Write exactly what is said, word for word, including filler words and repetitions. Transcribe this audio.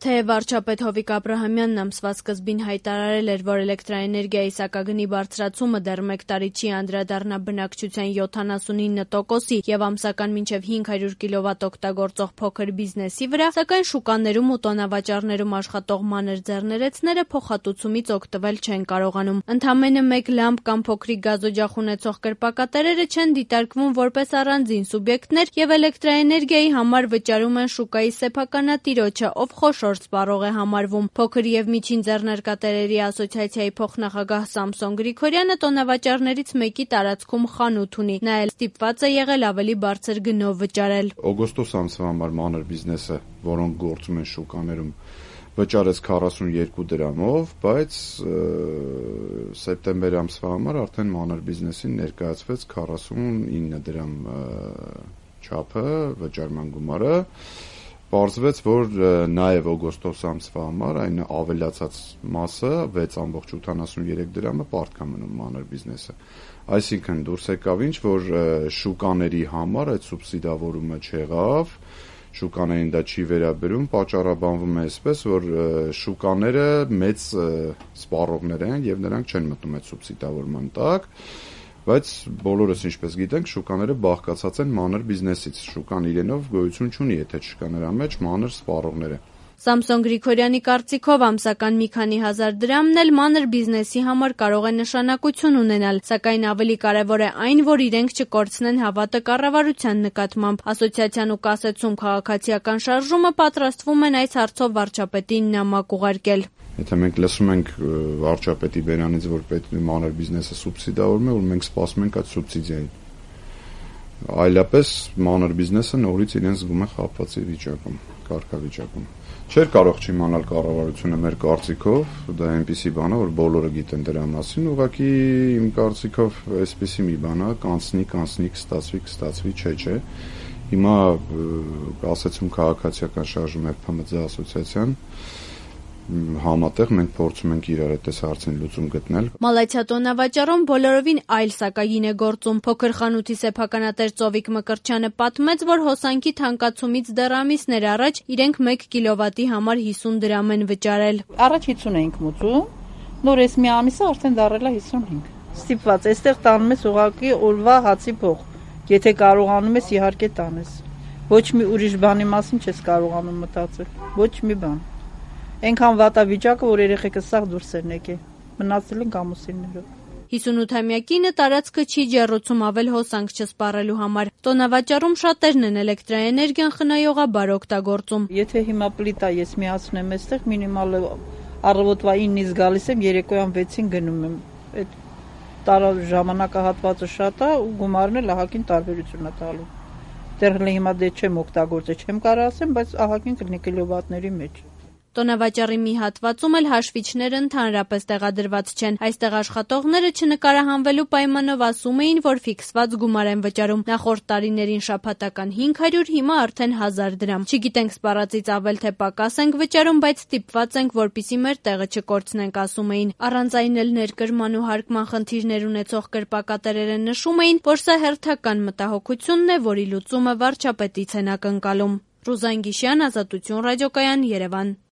Թեև վարչապետ Հովիկ Աբրահամյանն ամսվա սկզբին հայտարարել էր, որ էլեկտրաէներգիայի սակագնի բարձրացումը դեռ մեկ տարի չի անդրադառնա բնակչության յոթանասունինը տոկոսի եւ ամսական մինչեւ հինգ հարյուր կիլովատ օգտագործող փոքր բիզնեսի վրա, սակայն շուկաներում ու տոնավաճառներում աշխատող մանր ձեռներեցները փոխհատուցումից օգտվել չեն կարողանում։ Ընդամենը մեկ լամպ կամ փոքրիկ գազօջախ ունեցող կրպակատերերը չեն դիտարկվում որպես առանձին սուբյեկտներ եւ էլեկտրաէներգիայի համար վճարում են շուկայի սեփականատիրոջը, ով խոշոր սպառող է համարվում։ Փոքր եւ միջին ձեռնարկատերերի ասոցիացիայի փոխնախագահ Սամսոն Գրիգորյանը տոնավաճառներից մեկի տարածքում խանութ ունի։ Նա էլ ստիպված է եղել ավելի բարձր գնով վճարել։ Օգոստոս ամսվա համար մանր բիզնեսը, որոնք գործում են շուկաներում, վճարեց քառասունյոթ դրամով, բայց սեպտեմբեր ամսվա համար արդեն մանր բիզնեսին ներկայացվեց քառասունինը դրամ չափը վճարման գումարը։ Պարզվեց, որ նաև օգոստոս ամսվա համար այն ավելացած մասը վեց ամբողջ ութանասունյոթ դրամը պարտք է մնում մանր բիզնեսը։ Այսինքն դուրս եկավ ինչ, որ շուկաների համար այդ սուբսիդավորումը չեղավ, շուկաներին դա չի վերաբերում, պատճառաբանվում է այսպես, որ շուկաները մեծ սպառողներ են եւ նրանք չեն մտնում այդ սուբսիդավորման տակ, բայց բոլորս ինչպես գիտենք, շուկաները բաղկացած են մանր բիզնեսից, շուկան իրենով գոյություն չունի, եթե չկա նրա մեջ մանր սպառողները։ Սամսոն Գրիգորյանի կարծիքով ամսական մի քանի հազար դրամն էլ մանր բիզնեսի համար կարող է նշանակություն ունենալ, սակայն ավելի կարևոր է այն, որ իրենք չկորցնեն հավատը կառավարության նկատմամբ։ Ասոցիացիան ու Կասեցում քաղաքացիական շարժումը պատրաստվում են այս հարցով վարչապետին նամակ ուղարկել։ Եթե մենք լսում ենք վարչապետի բերանից, որ պետք է մանր բիզնեսը սուբսիդավորում է, որ մենք սպասում ենք այդ սուբսիդիային։ Այլապես մանր բիզնեսը նորից իրեն զգում է խաբվածի վիճակում, կարգավիճակում։ Չէր կարող չիմանալ կառավարությունը մեր կարծիքով, դա այնպիսի բան է, որ բոլորը գիտեն դրա մասին, ուղղակի իմ կարծիքով այսպիսի մի բան է, կանցնի, կանցնի, կստացվի, կստացվի, չէ, չէ։ Հիմա Կասեցում քաղաքացիական շարժում է Փ Մ Ձ ասոցիացիան համատեղ մենք փորձում ենք իրար այդ հարցին լուծում գտնել։ Մալաթիա տոնավաճառում բոլորովին այլ սակագին է գործում։ Փոքր խանութի սեփականատեր Ծովիկ Մկրտչյանը պատմեց, որ հոսանքի թանկացումից դեռ ամիսներ առաջ իրենք մեկ կիլովատի համար հիսուն դրամ են վճարել։ Առաջ հիսուն էինք մուծում, նոր էս մի ամիսը արդեն դառել է հիսունհինգ։ Ստիպված, այստեղ տանում ես ուղղակի օրվա հացի փող։ Եթե կարողանում ես, իհարկե տանես։ Ոչ մի ուրիշ բանի մասին չես կարողանում մտածել։ Ոչ մի բան։ Այնքան վատավիճակը, որ երեխեքս սաղ դուրս են եկել, մնացել են ամուսիններով։ հիսունութամյակինը տարածքը չի ջեռուցում ավել հոսանք չսպառելու համար։ Տոնավաճառում շատերն են էլեկտրաէներգիան խնայողաբար օգտագործում։ Եթե հիմա պլիտա ես միացնեմ այստեղ, մինիմալ առավոտվա ինից գալիս եմ, երեկոյան վեցին գնում եմ։ Այդ տարա ժամանակահատվածը շատ է ու գումարն էլ ահագին տարբերություն է տալու։ Դեռ հիմա դե չեմ օգտագործել, չեմ կարող ասեմ, բայց ահագին կլինի կիլովատների մեջ։ Տոնավաճառի մի հատվածում էլ հաշվիչները ընդհանրապես տեղադրված չեն։ Այստեղ աշխատողները չնկարահանվելու պայմանով ասում էին, որ ֆիքսված գումար են վճարում։ Նախորդ տարիներին շաբաթական հինգ հարյուր, հիմա արդեն հազար դրամ։ Չգիտենք սպառածից ավել թե պակաս ենք վճարում, բայց ստիպված ենք, որպեսզի մեր տեղը չկորցնենք, ասում էին։ Առանց այն էլ ներկրման ու հարկման խնդիրներ ունեցող կրպակատերերը նշում էին, որ սա հերթական մտահոգությունն է, որի լուծումը վարչապետից են ակնկալում։ Ռուզան Գիշյան, Ազատություն ռադիոկայան, Երևան։